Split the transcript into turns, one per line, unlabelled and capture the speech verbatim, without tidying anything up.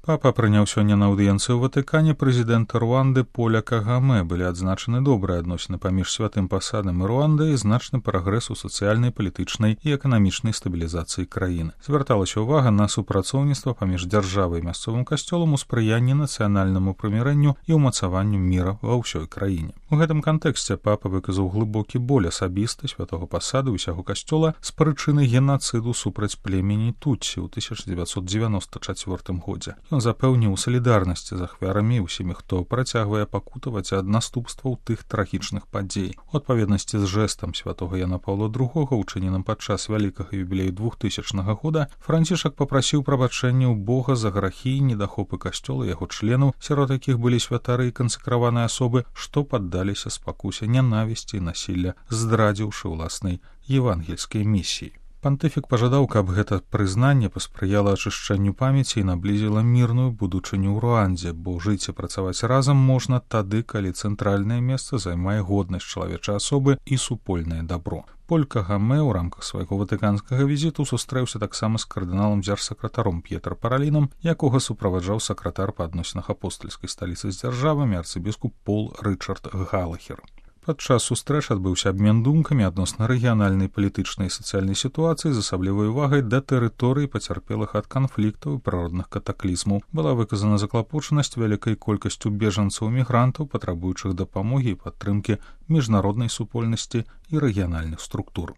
Папа прыняў сёння на аўдыенцыі ў Ватыкане прэзідэнта Руанды Поля Кагаме. Былі адзначаны добрыя адносіны паміж святым пасадам і Руандай і значны прагрэс у сацыяльнай, палітычнай і эканамічнай стабілізацыі краіны. Звярталася ўвага на супрацоўніцтва паміж дзяржавай і мясцовым касцёлам у спрыянні нацыянальнаму прымірэнню і ўмацаванню міра ва ўсёй краіне. У гэтым кантэксце папа выказаў глыбокі боль асабіста святога пасада ўсяго касцёла з прычыны генацыду супраць племені Тутсі ў тысяча дзевяцьсот дзевяноста чацвёртым годзе. Ён запэўніў салідарнасці з ахвярамі усімі, хто працягвае пакутаваць ад наступстваў тых трагічных падзей. У адпаведнасці з жэстам святога Яна Паўла другога, учыненым падчас вялікага юбілею двухтысячнага года, Францішак папрасіў прабачэння ў Бога за грахі і недахопы касцёла яго членаў, сярод якіх былі святары і кансакраваныя асобы, што паддаліся спакусе нянавісці і насілля, здрадзіўшы ўласнай евангельскай місіі. Пантыфік пажадаў, каб гэта прызнанне паспрыяла ачышчэнню памяці і наблізіла мірную будучыню ў Руандзе, бо жыць і працаваць разам можна тады, калі цэнтральнае месца займае годнасць чалавечай асобы і супольнае дабро. Поль Кагаме ў рамках свайго ватыканскага візіту сустрэўся таксама з кардыналам дзяржсакратаром П'етр Паралінам, якога суправаджаў сакратар па адносінах апостальскай сталіцы з дзяржавамі арцыбіскуп Пол Рычард Галахер. Падчас сустрэч адбыўся абмен думкамі адносна рэгіянальнай палітычнай і сацыяльнай сітуацыі з асаблівай увагай да тэрыторый пацярпелых ад канфліктаў і прыродных катаклізмаў. Была выказана заклапочанасць вялікай колькасцю бежанцаў-мігрантаў, патрабуючых дапамогі і падтрымкі міжнароднай супольнасці і рэгіянальных структур.